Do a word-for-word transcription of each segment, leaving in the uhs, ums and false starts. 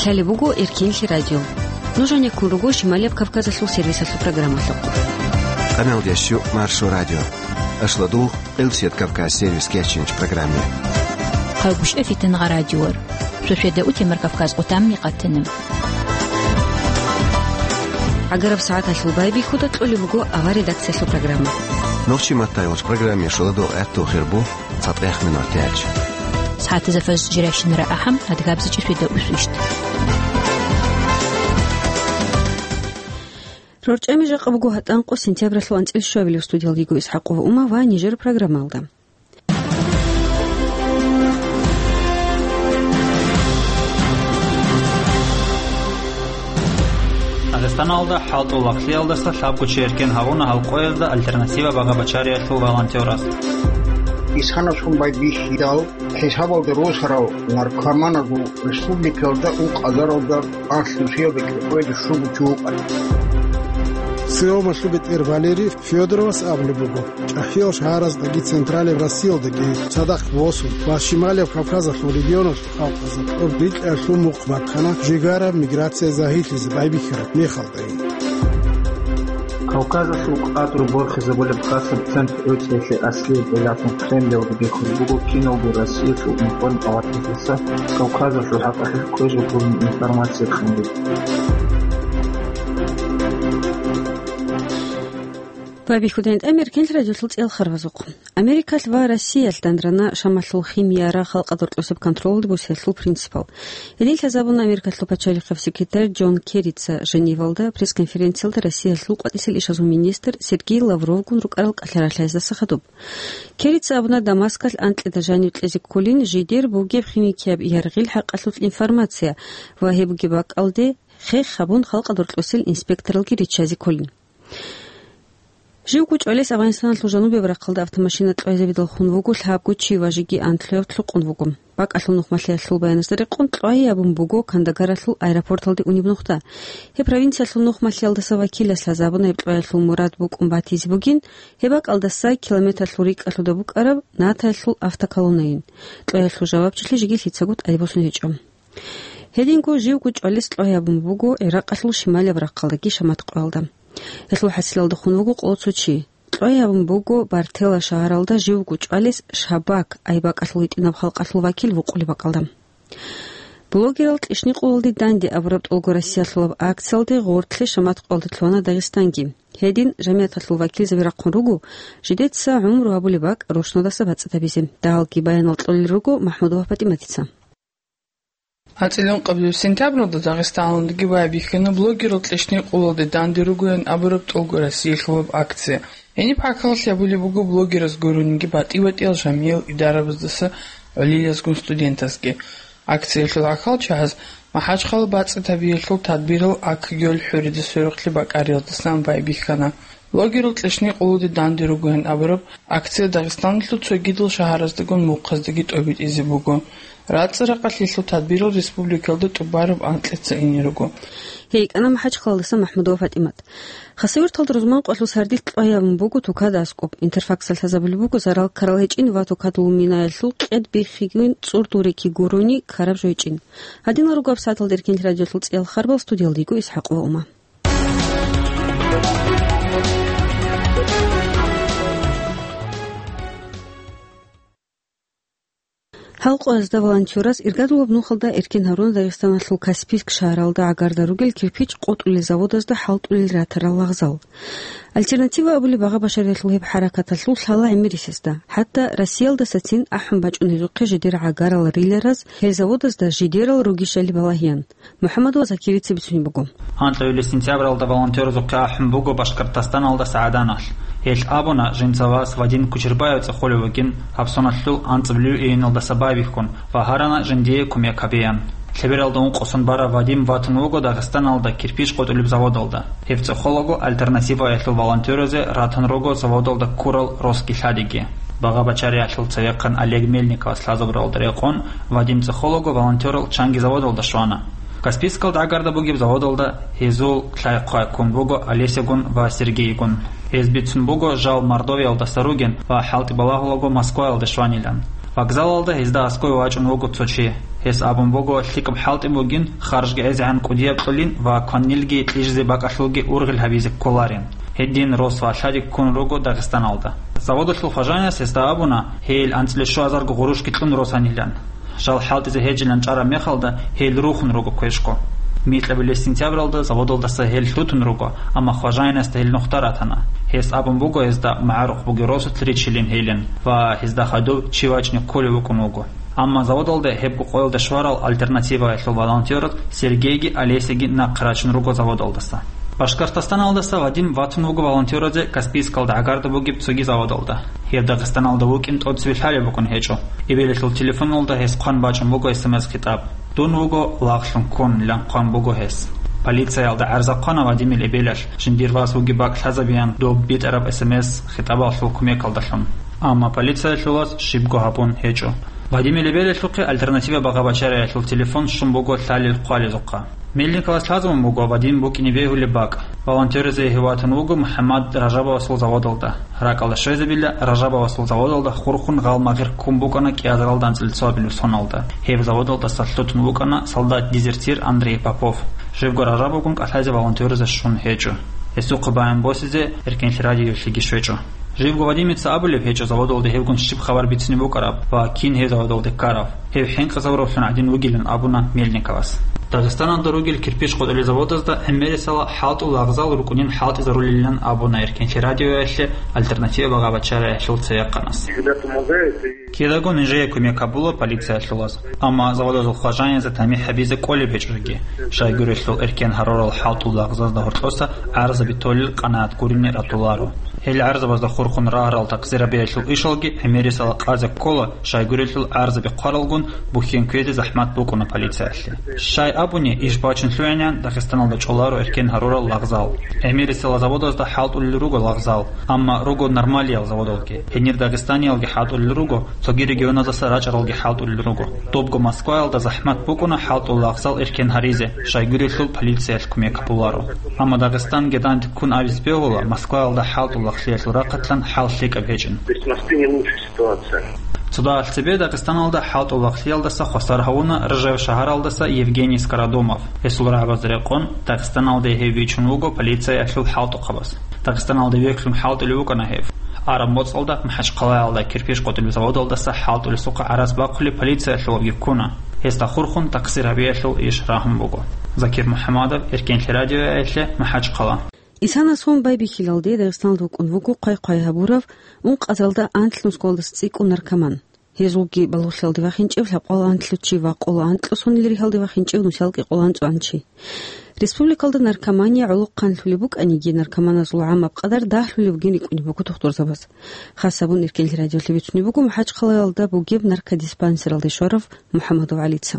Лъалеб буго Эркенлъи радио. Нуж гьанеккун руго Шималияб Кавказалъул сервисалъул программалъухъ. Къаналдящу Маршо радио. Ашладугъ Къилсият Кавказ сервис кечинч программе. Хъайгъушев Фитангъа радиор. Шошеда утемар Кавказ къутамни къатанам. ГӀагараб сагӀаталъул байбихьуда кьолеб буго авар редакциялъул программа. Нохчи маттайгъуч программе шуладугъ гӀатту хирбу. ЦатӀех минут тяч. СагӀатазда фаз жирайщинара ахӀам, адгабзичӀи шведа усвищт. РорчӀами жакъа буго гьатӀанкъо сентябралъул анцӀил щуабилеб. Студиялдиго Исхакъова Ума ва нижер программалда. Дагъистаналда хӀалтӀул лагълъиялдаса лъабго чи эркен гьавуна гьал къоязда «Альтернатива» багъа-бачариялъул волонтерас. Исханасхун байбихьидал, хӀисабалда росарал наркоманазул республикалда ункъазаралда анлънусиялда кӀикъоялда щуго чи вукӀана. Цеобалъул бетӀер Валерий Федоровас абулеб буго, ЧӀахӀиял шагьараздаги Централияб Россиялдаги цадахъ босун ва Шималияб Кавказалъул регионалъул халкъазда тӀордилъиялъул мухъ бахъана жигара миграция загьирлъизе байбихьараб мехалдайин. Кавказалъул къадру борхизабулеб хасаб центр ГӀуцӀиялъе аслияб гӀиллалъун Кремлалда бихьулеб буго киналго Россиялъул информ палатаялдаса Кавказалъул хӀакъалъулъ кквезе гьабураб информация кьун. Байбихьудайин тӀамер кенлъ радиолъул цӀел харбазухъ. Америкалъ ва Россиялъ дандрана Шамалъул химияра халкъа доркьосеб контролалде босиялъул принципал. Гьедин лъазабуна Америкалъул пачалихъав секретарь Джон Керрица Женевалда пресс-конференциялда Россиялъул къватӀисел ишазул министр Сергей Лавровгун рукӀарал кӀалъаралъаздаса хадуб. Керрица абуна, Дамаскалъ анкьида жанив кьезе кколин жидер бугеб химикияб яргъил хӀакъалъулъ информация ва гьеб бугеб бакӀалде хех гьабун халкъа доркьосел инспекторалги риччазе кколин. Живго чӀвалес Афганистаналъул жанубияб рахъалда автомашина кьвайзабидал хун вуго лъабго чи ва жеги анлъуяб лъукъун вуго. БакӀалъул нухмалъиялъул баяназда рекъон кьвай абун буго Кандагаралъул аэропорталде унеб нухда. Гьеб провинциялъул нухмалъиялдаса вакилас лъазабуна гьеб кьваялъул мурад букӀун батизе бугин, гьеб бакӀалдаса километрлъул рикӀкӀалъуда букӀараб натаялъул автоколоннайин. Кьваялъул жавабчилъи жеги лъицаго тӀадибосун гьечӀо. Гьединго живго чӀвалес кьвай абун буго ГӀиракъалъул шималияб рахъалдаги Шамат къоялда. Гьелъул хӀасилалда хун вуго къоло цо чи. Кьвай абун буго Бартела шагьаралда живго чӀвалес Шабак айбакӀалъул гьитӀинаб халкъалъул вакил вукъулеб бакӀалда. Блогерал кьишникъулалде данде абураб тӀолго Россиялъулаб акциялде гъортлъи Шамат къоялде лъугьана Дагъистанги. Гьедин жамигӀаталъул вакилзаби рахъун руго жидеца гӀумру гьабулеб бакӀ рушналдаса бацӀцӀад гьабизе. Дагьалги баянал кьолел руго МахӀмудова ПатӀиматица. АнцӀила ункъабилеб сентябралда Дагъистаналдаги байбихьана блогерал кьишникъулалде данде ругоян абураб тӀолго Россиялъулаб акция. Гьениб хӀакъалъ гьабулеб буго блогераз гурониги батӀи-батӀиял жамиял идарабаздаса гӀолилазгун студентазги. Акциялъул гӀахьалчагӀаз МахӀачхъала бацӀцӀад гьабиялъул тадбирал Акгьол хӀурида сверухълъи бакӀариялдасан байбихьана. Блогерал кьишникъулалде данде ругоян абураб акция Дагъистаналъул цогидал шагьараздагун мухъаздаги тӀобитӀизе буго. РацӀцӀа-ракъалъилъул тадбирал республикалда тӀубараб анкьица ине руго. Гьей йикӀана МахӀачхъалдаса МахӀмудова ПатӀимат. Хасавюрталда рузман къвалъул сардилъ кьвай абун буго тукада аскӀоб. Интерфаксалъ лъазабулеб буго зарал ккарал гьечӀин ва тукадул минаялъул кьед биххигун цӀурдул рекги гурони ккараб жо гьечӀин. Гьадинал руго гьаб сагӀаталда Эркенлъи радиолъул цӀиял харбал, студиялда йиго Исхакъова Ума. Гьал къоязда волонтераз иргадулаб нухалда эркен гьаруна Дагъистаналъул Каспийск шагьаралда гӀагарда ругел кирпич къотӀулел заводазда хӀалтӀулел ратарал лагъзал. «Альтернатива» абулеб багъа-башариялъул гьеб хӀаракаталъул лъала гӀемерисезда, хӀатта Россиялдасацин ахӀун бачӀун гьезухъе жидер гӀагарал рилараз, гьел заводазда жидерал ругищали балагьеян. МухӀаммадова Закирица бицунеб буго. Гьанкьуйли сентябралда волонтерзухъе ахӀун буго Башкортостаналдаса ГӀаданалъ. Гьелъ абуна, жинца вас Вадим Кучербаев цӀехолев вугин, гьабсоналъул анцӀабилеб июналдаса байбихьун ва гьарана жиндие кумек гьабеян. Лъебералда ункъосун барав Вадим ватун вуго Дагъистаналда кирпич къотӀулеб заводалда. Гьев цӀехолаго «Альтернативаялъул» волонтеразе ратун руго заводалда ккурал росги лъадиги. Багъа-бачариялъул цевехъан Олег Мельниковас лъазабуралда рекъон Вадим цӀехолаго волонтерал чанги заводалда щвана. Каспийскалда гӀагарда бугеб заводалда гьезул лъай-хъвай ккун буго Олесягун ва Сергейгун. Гьез бицун буго жал Мордовиялдаса ругин ва хӀалтӀи балагьулаго Москваялда щванилан. Вокзалалда гьезда аскӀове вачӀун вуго цо чи. Гьес абун буго, лъикӀаб хӀалтӀи бугин, харжги гӀезегӀан кӀудияб кьолин ва кванилги кьижизе бакӀалъулги ургъел гьабизе кколарин. Гьедин рос ва лъади ккун руго Дагъистаналда. Заводалъул хважаняс гьесда абуна, гьел анцӀила щуазарго гъурущги кьун росанилан. Жал хӀалтӀизе гьежилан чӀараб мехалда, гьел рухун руго квешго. Микьабилеб сентябралда заводалдаса гьел лъутун руго, амма хважаянасда гьел нухда ратана. Гьес абун буго гьезда магӀарухъ бугеб росулъ ричилин гьелин ва гьезда хадуб чи вачӀни кколев вукӀун вуго. Амма заводалда гьебго къоялда щварал «Альтернативаялъул» волонтёр Сергейги Олесяги нахъе рачун руго заводалдаса. Башкортостаналдаса Вадим ватун вуго волонтёразе Каспийскалда гӀагарда бугеб цоги заводалда. Гьеб Дагъистаналда вукӀин тӀоцеве лъалеб букӀун гьечӀо. Эбелалъул телефоналда гьес хъван бачӀун буго эс эм эс хитӀаб. «Дун вуго лагълъун ккун», – ян хъван буго гьес. Полициялда гӀарза хъвана Вадимил эбелалъ, жиндир вас вугеб бакӀ лъазабеян доб битӀараб эс эм эс хитӀабалъул кумекалдалъун. Амма полициялъул вас щибго гьабун гьечӀо. Вадимил эбелалъухъе «Альтернатива» багъа-бачариялъул телефон щун буго лъалел хъвалезухъа. Мельниковас лъазабун буго Вадим букӀине бегьулеб бакӀ. Волонтеразе гьев ватун вуго МухӀаммад Ражабовасул заводалда. РакӀалда щвезабила, Ражабовасул заводалда хурхун гъалмагъир ккун букӀана кӀиазаралда анцӀила цоабилеб соналда. Гьеб заводалдаса лъутун вукӀана солдат-дезертир Андрей Попов. Живго Ражабовгун кӀалъазе волонтеразе щун гьечӀо. Гьесухъе баян босизе Эркенлъи радиоялъеги щвечӀо. Живго Вадимица абулеб гьечӀо заводалда гьевгун щиб хабар бицине букӀараб ва кин гьев заводалде ккарав. Гьев хӀинкъизавураллъун гӀадин вугилан абуна Мельниковас. Дагъистаналда ругел кирпич къотӀулел заводазда гӀемерисела хӀалтӀул лагъзал рукӀунин хӀалтӀизарулилан абуна Эркенлъи радиоялъе «Альтернатива» багъа-бачариялъул цеякъанас. Кидаго нижее кумек гьабула полициялъул вас, амма заводазул хважаниязда тамихӀ гьабизе кӀолеб гьечӀоги, щайгурелъул эркен гьарурал хӀалтӀул лагъзазда гьоркьоса гӀарзаби толел къанагӀат гурине ратуларо. Гьел гӀарзабазда хурхун рагьарал такъзирабиялъул ишалги гӀемерисела къазе ккола, щайгурелъул гӀарзаби хъваралгун бухьен кквезе захӀмат букӀуна полициялъе. Щай абуни, иш бачун лъугӀинегӀан Дагъистаналда чӀоларо эркен гьарурал лагъзал. ГӀемерисела заводазда хӀалтӀулел руго лагъзал, амма руго нормалиял заводалги. Гьенир дагъистаниялги хӀалтӀулел руго, цоги регионаздаса рачӀаралги хӀалтӀулел руго. Добго Москваялда захӀмат букӀуна хӀалтӀул лагъзал эркен гьаризе, щайгурелъул полициялъ кумек гьабуларо. Амма Дагъистанги данде ккун абизе бегьула, Москваялда хӀалтӀул лагълъиялъул рахъалъан хӀал лъикӀаб гьечӀин. То есть в Москве не лучше ситуация. Цо дагьалъ цебе Дагъистаналда хӀалтӀул лагълъиялдаса хвасар гьавуна Ржев шагьаралдаса Евгений Скородумов. Гьесул рагӀабазда рекъон, Дагъистаналде гьев бичун вуго полициялъул хӀалтӀухъабаз. Дагъистаналде вехьун хӀалтӀулев вукӀана гьев. Араб моцӀалда МахӀачхъалаялда кирпич къотӀулеб заводалдаса хӀалтӀулесухъа гӀарац бахъулеб полициялъулги ккуна. Гьесда хурхун такъзир гьабиялъул иш рагьун буго. Закир МухӀамадов, Эркенлъи радиоялъе, МахӀачхъала. Исанасун байбихьилалде Дагъистаналда вукӀун вуго хъвай-хъвай гьабурав ункъазаралда анлънусгоялдаса цӀикӀкӀун наркоман. Гьезулги балугълъиялде вахинчӀев лъабкъоялда анлънусчи ва къоло анкьго сонилан ригьалде вахинчӀев нусиялда кӀикъоялда анцӀго чи. Республикалда наркомания гӀолохъанлъулеб букӀаниги, наркоманазул гӀамаб къадар дагьлъулеб бугин рикӀкӀунеб буго тухтурзабаз. Хасабун Эркенлъи радиоялъе бицунеб буго МахӀачхъалаялда бугеб наркодиспансералде щварав МухӀамадов ГӀалица.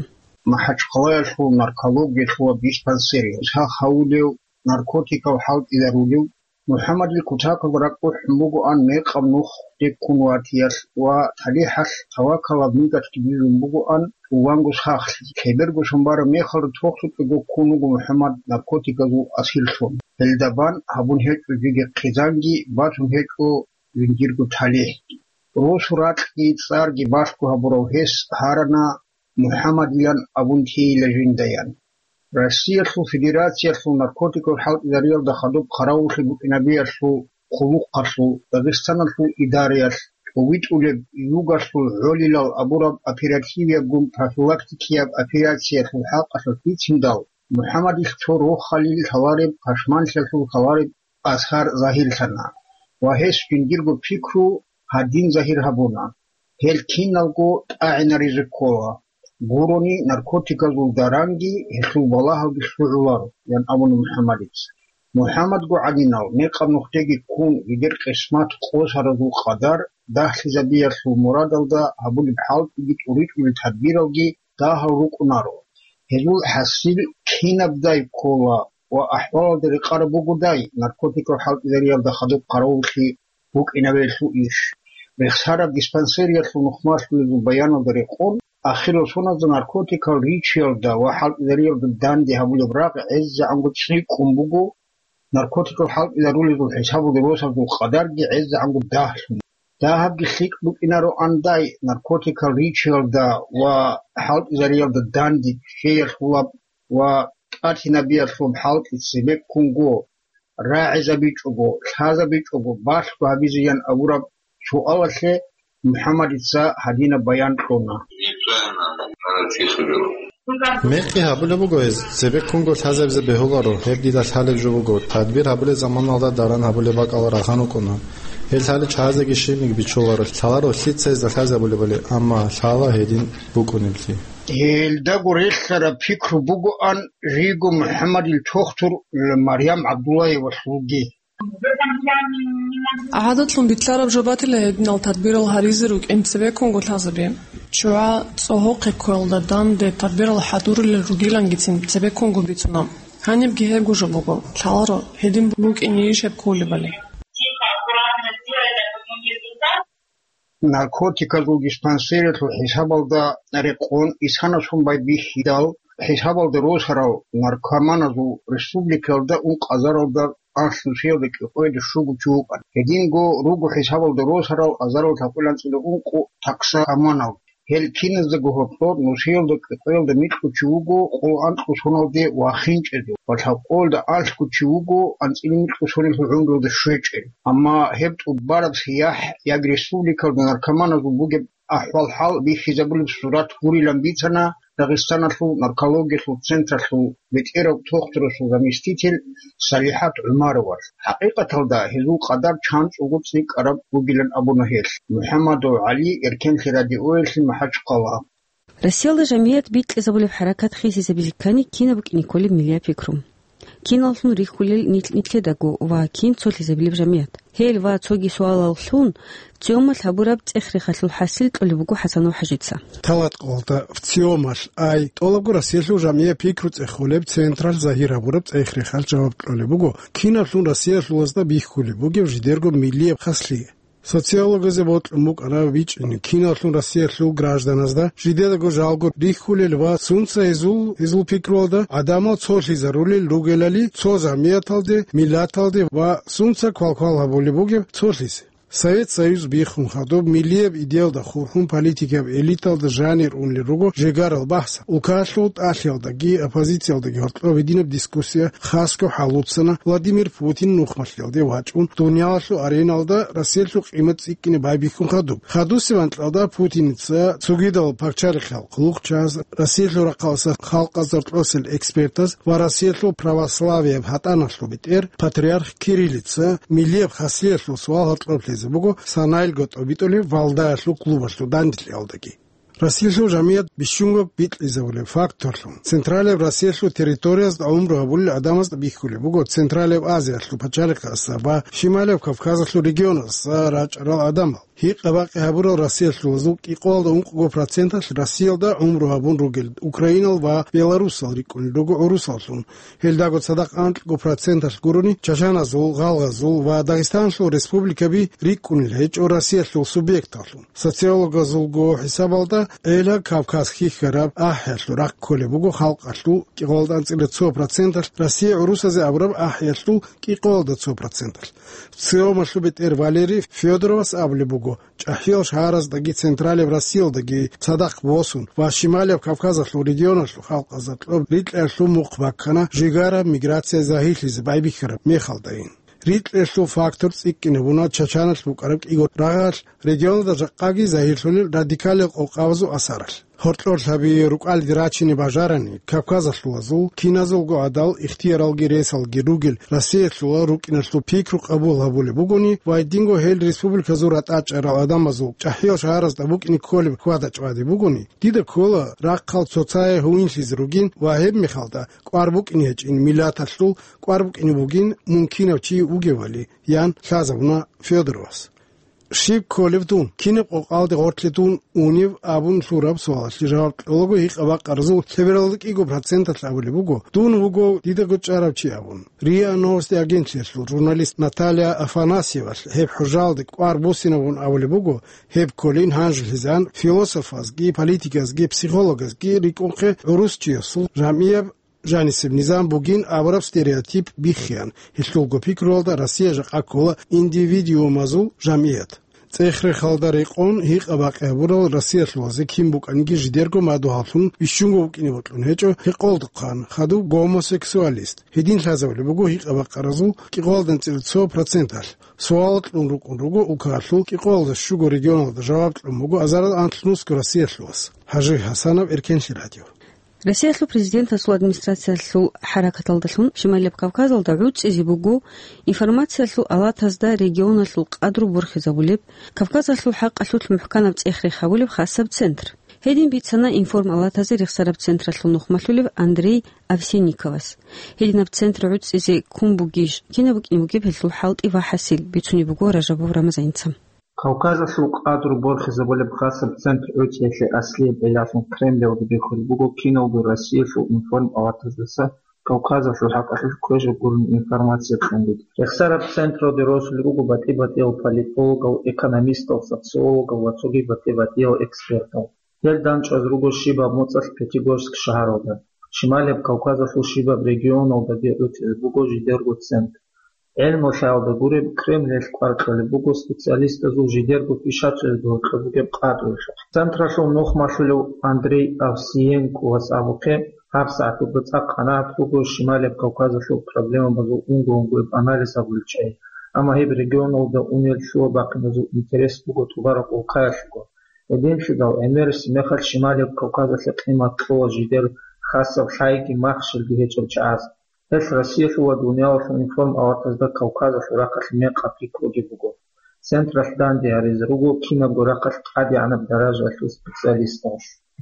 МахӀачхъалаялъул наркологиялъул диспансер, гьес гьавулев наркотикал хӀалтӀизарулев, МухӀаммадил кутакалда ракӀ бухӀун бугоан мекъаб нухде ккун ватиялъ ва талихӀалъ тавакалаб мигатги бижун бугоан тӀуванго сахлъи. Лъеберго сон бараб мехалда тохлъукьего ккун вуго МухӀаммад наркотиказул асирлъун. Гьелда бан гьабун гьечӀо жеги хъизанги, батун гьечӀо жиндирго талихӀги. Росу ракьги цӀарги балъго гьабурав гьес гьарана МухӀаммадилан абун тейила жиндаян. Россиялъул Федерациялъул наркотикал хӀалтӀизариялда хадуб хъаравуллъи букӀинабиялъул хъулухъалъул Дагъистаналъул идараялъ тӀовитӀулеб югалъул гӀолилал абураб оперативиябгун профилактикияб операциялъул хӀакъалъулъ бициндал, МухӀаммадил цо рохалил лъалареб пашманлъиялъул лъалареб асар загьирлъана ва гьес жиндирго пикру гьадин загьир гьабуна: «Гьел киналго тӀагӀинаризе ккола, гурони наркотиказул даранги гьелъул балагьалги лъугӀуларо», – ян абуна МухӀаммадица. МухӀаммадго гӀадинал мекъаб нухдеги ккун, жидер къисмат къосаразул къадар дагьлъизабиялъул мурадалда гьабулеб хӀалтӀиги тӀуритӀулел тадбиралги дагьал рукӀунаро. Гьезул хӀасил кинабдай ккола ва ахӀвалалда рекъараб бугодай наркотикал хӀалтӀизариялда хадуб хъаравуллъи букӀинабиялъул иш. Рехсараб диспансериялъул нухмалъулезул баяналда рекъон, ахирал соназда наркотикал ричиялда ва хӀалтӀизариялда данде гьабулеб рагъ гӀезегӀанго цӀикӀкӀун буго, наркотикал хӀалтӀизарулезул хӀисабалда росазул къадарги гӀезегӀанго дагьлъун. Дагьабги лъикӀ букӀинароан дай, наркотикал ричиялда ва хӀалтӀизариялда данде ччеялъулаб ва тӀатинабиялъул хӀалтӀи цебеккунго, рагӀизабичӀого, лъазабичӀого балъго гьабизеян абураб суалалъе МухӀаммадица гьадинаб баян кьуна. Мекъи гьабулеб буго гьез, цебеккунго лъазабизе бегьуларо, гьеб дида лъалеб жо буго, тадбир гьабулеб заманалда даран гьабулеб бакӀал рагъан рукӀуна. Гьел лъали чагӀазеги щибниги бичуларо, лъаларо лъица гьезда лъазабулебали, амма лъала гьедин букӀунеблъи. Гьелдаго релълъараб пикру бугоан Риго МухӀаммадил тухтур Марьям ГӀабдуллаевалъулги. ГӀадатлъун битӀараб жо батила гьединал тадбирал гьаризе рукӀин цебеккунго лъазаби. ЧогӀа цӀогьохъе ккоялда данде тадбирал хӀадурулел ругилангицин цебеккунго бицуна. Гьанибги гьебго жо буго, лъаларо, гьедин букӀинейищ гьеб кколебали. Наркотиказул диспансералъул хӀисабалда рекъон исанасун байбихьидал, хӀисабалда росарал наркоманазул республикаялда ункъазаралда анлънусиялда кӀикъоялда щуго чи вукӀана. Гьединго руго хӀисабалда росарал азарал лъабкъоялда анцӀила ункъо токсикоманал. Гьел киназдаго гьоркьор нусиялда кӀикъоялда микьго чи вуго къоло анкьго соналде вахинчӀезул ва лъабкъоялда анлъго чи вуго анцӀила микьго соналъул гӀумруялда щвечӀел. Амма гьеб тӀубараб сияхӀ яги республикалда наркоманазул бугеб ахӀвал-хӀал бихьизабулеб сурат гурилан бицана Дагъистаналъул наркологиялъул централъул бетӀерав тухтурасул заместитель СалихӀат ГӀумаровалъ. ХӀакъикъаталда гьезул къадар чанцӀулго цӀикӀкӀараб бугилан абуна гьелъ. МухӀаммадов ГӀали, Эркенлъи радиоялъе, МахӀачхъала. Россиялда жамият бикьизабулеб хӀаракат хисизабизе ккани, кинаб букӀине кколеб миллияб пикру? Киналлъун рихьулел нилъ-нилъедаго ва кин цолъизабилеб жамият? Гьел ва цоги суалаллъун ВЦИОМалъ гьабураб цӀех-рехалъул хӀасил кьолеб буго ХӀасанов ХӀажица. Талаткъалда ВЦИОМалъ ай тӀолабго Россиялъул жамияб пикру цӀехолеб централъ загьир гьабураб цӀех-рехалъ жаваб кьолеб буго, кинаблъун Россиялъулазда бихьулеб бугеб жидерго миллияб хаслъи. Социологазе бокьун букӀана бичӀчӀине, киналлъун Россиялъул гражданазда жидедаго жалго рихьулел ва сунца гьезул, гьезул пикруялда гӀадамал цолъизарулел ругелали цо жамияталде, миллаталде ва сунца квалквал гьабулеб бугеб цолъизе. Совет Союз биххун хадуб, миллияб идеялда хурхун политикаб элиталда жанир унел руго жегарал бахӀс. Улкалъул тӀалъиялдаги оппозициялдаги гьоркьоб гьединаб дискуссия хасго хӀалуцана Владимир Путин нухмалъиялде вачӀун, дуниялалъул ареналда Россиялъул къимат цӀикӀкӀине байбихьун хадуб. Хадусеб анкьалда Путиница цогидал пачалихъал хъулухъчияз, Россиялъул рахъалъа халкъазда кьосел экспертаз ва Россиялъул православияб гьатӀаналъул бетӀер патриарх Кириллица миллияб хаслъиялъул суал гьоркьоб лъезе буго, санаялго тӀобитӀулеб Валдаялъул клубалъул данделъиялдаги. Россиялъул жамият бищунго бикьизабулеб факторлъун, Централияб Россиялъул территориязда гӀумру гьабулел гӀадамазда бихьулеб буго Централияб Азиялъул пачалихъаздаса ва Шималияб Кавказалъул регионаздаса рачӀарал гӀадамал. Гьикъа-бакъи гьабурал россиялъулазул кӀикъоялда ункъго проценталъ Россиялда гӀумру гьабун ругел украинал ва белорусал рикӀкӀунел руго гӀурусаллъун. Гьелдаго цадахъ анкьго проценталъ гурони чачаназул, гъалгъазул ва Дагъистаналъул республикаби рикӀкӀунел гьечӀо Россиялъул субъекталлъун. Социологазулго хӀисабалда, гӀела Кавказ хьихьараб ахӀиялъул рахъ кколеб буго халкъалъул кӀикъоялда анцӀила цо проценталъ, Россия гӀурусазе абураб ахӀиялъул кӀикъоялда цо проценталъ. ВЦИОМалъул бетӀер Валерий Федоровас абулеб буго, чӀахӀиял шагьараздаги Централияб Россиялдаги цадахъ босун ва Шималияб Кавказалъул регионалъул халкъазда кьоб рикьаялъул мухъ баккана жигара миграция загьирлъизе байбихьараб мехалдайин. Рикьаялъул фактор цӀикӀкӀинабуна Чачаналъ букӀараб кӀиго рагъалъ, регионалда жакъаги загьирлъулел радикалил къокъабазул асаралъ. Гьоркьор лъаби рукӀалде рачине бажарани, Кавказалъулазул киназулго гӀадал ихтияралги ресалги ругел Россиялъула рукӀиналъул пикру къабул гьабулеб бугони ва гьединго гьел республиказул ратӀа чӀарал гӀадамазул чӀахӀиял шагьаразда букӀине кколеб хьвада-чӀвади бугони, дида ккола рахъал цоцае гьуинлъизе ругин ва гьеб мехалда кӀвар букӀине гьечӀин, миллаталъул кӀвар букӀине бугин мункинав чи вугевали, ян лъазабуна Федоровас. Щиб кколев дун? Кинаб къокъалде гъоркье дун унев абун лъураб суалалъе жаваб кьолаго гьикъа-бакъаразул лъебералда кӀиго проценталъ абулеб буго, дун вуго дидаго чӀарав чи абун. РИА Новости агентлъиялъул журналист Наталья Афанасьевалъ гьеб хӀужалде кӀвар буссинабун абулеб буго, гьеб кколин гьанжелъизан философазги, политиказги, психологазги рикӀкӀунхъе гӀурусчиясул жамияб жанисеб низам бугин абураб стереотип биххеян, гьелъулго пикруялда Россия жакъа ккола индивидуумазул жамият. ЦӀех-рехалда рекъон гьикъа-бакъи гьабурал Россиялъулазе кин букӀаниги жидерго мадугьаллъун бищунго букӀине бокьун гьечӀо гьекъолдухъан хадуб гомосексуалист. Гьедин лъазабулеб буго гьикъа-бакъаразул кӀикъоялда анцӀила цо проценталъ. Суал кьун рукӀун руго улкаялъул кӀикъоялда щуго регионалда жаваб кьун буго азарал анлънусго Россиялъулас. Гьажи Гьасанов, Эркенлъи радио. Россиялъул президентасул администрациялъул хӀаракаталдалъун Шималияб Кавказалда гӀуцӀизе буго информациялъул алатазда регионалъул къадру борхизабулеб, Кавказалъул хӀакъалъулъ мухӀканаб цӀех-рех гьабулеб хасаб центр. Гьедин бицана информалатазе рехсараб централъул нухмалъулев Андрей Овсинниковас. Гьединаб центр гӀуцӀизе ккун бугищ, кинаб букӀине бугеб гьелъул хӀалтӀи ва хӀасил, бицунеб буго Ражабов Рамазаница. Кавказалъул къадру борхизабулеб хасаб центр гӀуцӀиялъе аслияб гӀиллалъун Кремлалда бихьулеб буго киналго Россиялъул информалатаздаса Кавказалъул хӀакъалъулъ кквежаб гурони информация кьун бугеб. Рехсараб централде росулел руго батӀи-батӀиял политологал, экономистал, социологал ва цоги батӀи-батӀиял экспертал. Гьел дандчӀваз руго щибаб моцӀалъ Пятигорск шагьаралда. Шималияб Кавказалъул щибаб регионалдаги гӀуцӀизе буго жидерго центр. ГӀелму лъаялда гуреб, Кремлалъ кӀвар кьолеб буго специалистазул жидерго пишацӀиязда гьоркьоб бугеб къадру. Централъул нухмалъулев Андрей Овсиенковас абухъе, гьабсагӀат буго цӀакъ къанагӀат буго Шималияб Кавказалъул проблемабазул унго-унгояб анализ гьабулел чагӀи, амма гьеб регионалда унел лъугьа-бахъиназул интерес буго тӀубараб улкаялъего. Гьединлъидал гӀемерисеб мехалъ Шималияб Кавказалъе къимат кьола жидер хасаб лъайги махщелги гьечӀел чагӀаз. Гьелъ Россиялъул ва дуниялалъул информалатазда Кавказалъул рахъалъ мекъаб пикруги буго. Централъ данде гьаризе руго кинабго рахъалъ тӀадегӀанаб даражаялъул специалистал.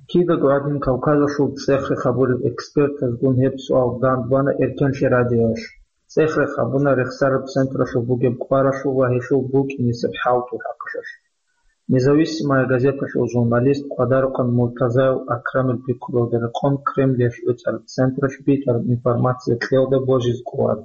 Кидаго гӀадин Кавказалъул цӀех-рех гьабулел экспертазгун гьеб суал дандбана Эркенлъи радиоялъ. ЦӀех-рех гьабуна рехсараб централъул бугеб кӀваралъул ва гьелъул букӀинесеб хӀалтӀул хӀакъалъулъ. Независимая газеталъул журналист Къвадарухъан Муртазаев Акрамил пикруялда рекъон Кремлиялъ гӀуцӀараб централъ битӀараб информация кьеялда божизе кӀоларо.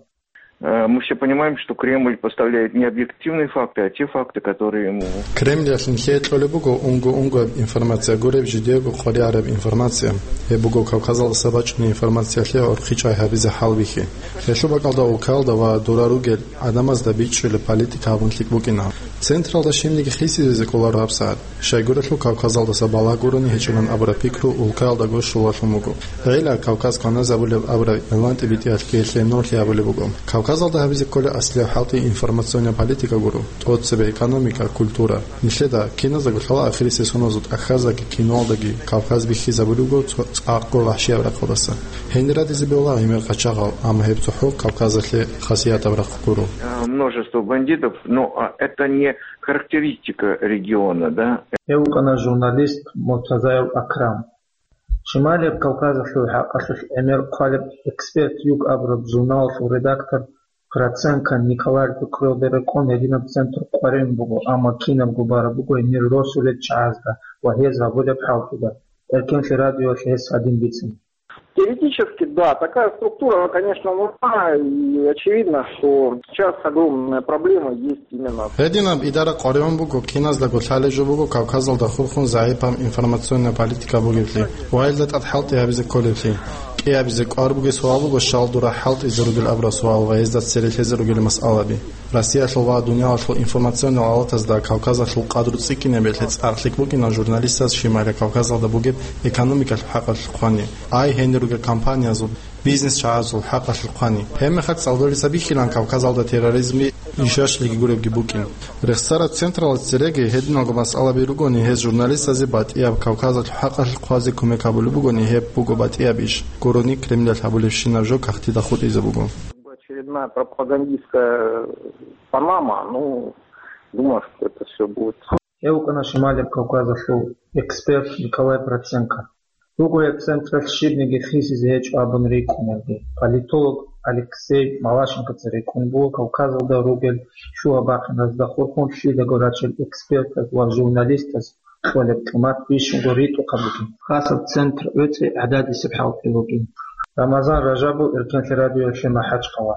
Э, мы все понимаем, что Кремль поставляет не объективные факты, а те факты, которые ему... Кремлиялъ нилъее кьолеб буго унго-унгояб информация гуреб, жидеего къваригӀараб информация. Гьеб буго Кавказалдаса бачӀунеб информациялъе гӀурхъи чӀвай гьабизе хӀалбихьи. Гьелъул бакӀалда улкаялда ва дора ругел гӀадамазда бичӀчӀулеб политика гьабун лъикӀ букӀина. Централда щибниги хисизезе кӀоларо гьабсагӀат. Щайгурелъул Кавказалдаса балагь гурони гьечӀилан абураб пикру улкаялдаго щолалъун буго. ГӀела Кавказ кваназабулеб абураб игълан тӀибитӀиялъги гьелъе нурлъи гьабулеб буго. Кавказалда гьабизе кколеб аслияб хӀалтӀи информационная политика гуро, тӀоцебе экономика, культура. Нилъеда киназдаго лъала ахирисеб соназул тӀахьаздаги киноялдаги Кавказ бихьизабулеб буго цо-, цӀакъго вагьшияб рахъалдаса. Гьенир радизе бегьула гӀемер къачагъал, амма гьеб цохӀо Кавказалъе хасиятаб рахъ гуро. Э, множество бандитов, но, а, это не характеристика региона, да? Гьев вукӀана журналист Муртазаев Акрам. Шималияб Кавказалъул хӀакъалъулъ гӀемер хъвалеб «Эксперт Юг» абураб журналалъул редактор Проценко Николай пикруялда рекъон гьединаб центр къваригӀун буго, амма кинабго бараб буго гьенир росулел чагӀазда ва гьез гьабулеб хӀалтӀуда. Эркенлъи радиоялъ гьес гьадин бицина. Теоретически, да, такая структура, она, конечно, нужна, и очевидно, что сейчас огромная проблема есть именно. Гьединаб идара къваригӀун буго, киназдаго лъалеб жо буго Кавказалда хурхун загӀипаб информационная политика бугеблъи ва гьелда тӀад хӀалтӀи гьабизе кколеблъи. КӀиабизе кӀвар бугеб суал буго, щал дура хӀалтӀизе ругел абураб суал ва гьезда цере лъезе ругел масъалаби. Россиялъул ва дуниялалъул информационный алатазда Кавказалъул къадру цӀикӀкӀинабиялъе цӀакъ лъикӀ букӀина журналистаз Шималияб Кавказалда бугеб экономикалъул хӀакъалъулъ хъвани, ай гьенир ругел компаниязул, бизнес-чагӀазул хӀакъалъулъ хъвани. Гьебмехалъ цӀалдолица бихьилан Кавказалда терроризмги ишашлъиги гуребги букӀин. Рехсараб централаз цереги гьединалго масъалаби ругони, гьез журналистазе батӀияб Кавказалъул хӀакъалъулъ хъвазе кумек гьабулеб бугони, гьеб буго батӀияб иш. Гурони Кремлалъ гьабулебщинаб жо кагътида хутӀизе буго. Очередная пропагандистская Панама, ну, думаю, что это всё будет. Гьев вукӀана Шималияб Кавказалъул эксперт Николай Проценко. Руго гьеб централъ щибниги хисизе гьечӀо абун рикӀкӀунарги. Политолог Алексей Малашенкоца рикӀкӀун буго Кавказалда ругел лъугьа-бахъиназда хурхун лъидаго рачел экспертаз ва журналистаз кьолеб къимат бищунго ритӀухъаб бугин. Хасаб центр гӀуцӀи гӀададисеб хӀалтӀи бугин. Рамазан Ражабов, Эркенлъи радиоялъе, МахӀачхъала.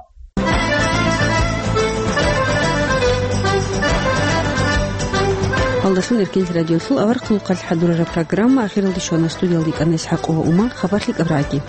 Гьалдалъун Эркенлъи радиолъул аварагасул хъалихъ хӀадурараб программа ахиралде щвана. Студиялда йикӀана ИсхӀакъова Умар. Хабар лъикӀаб рагӀаги.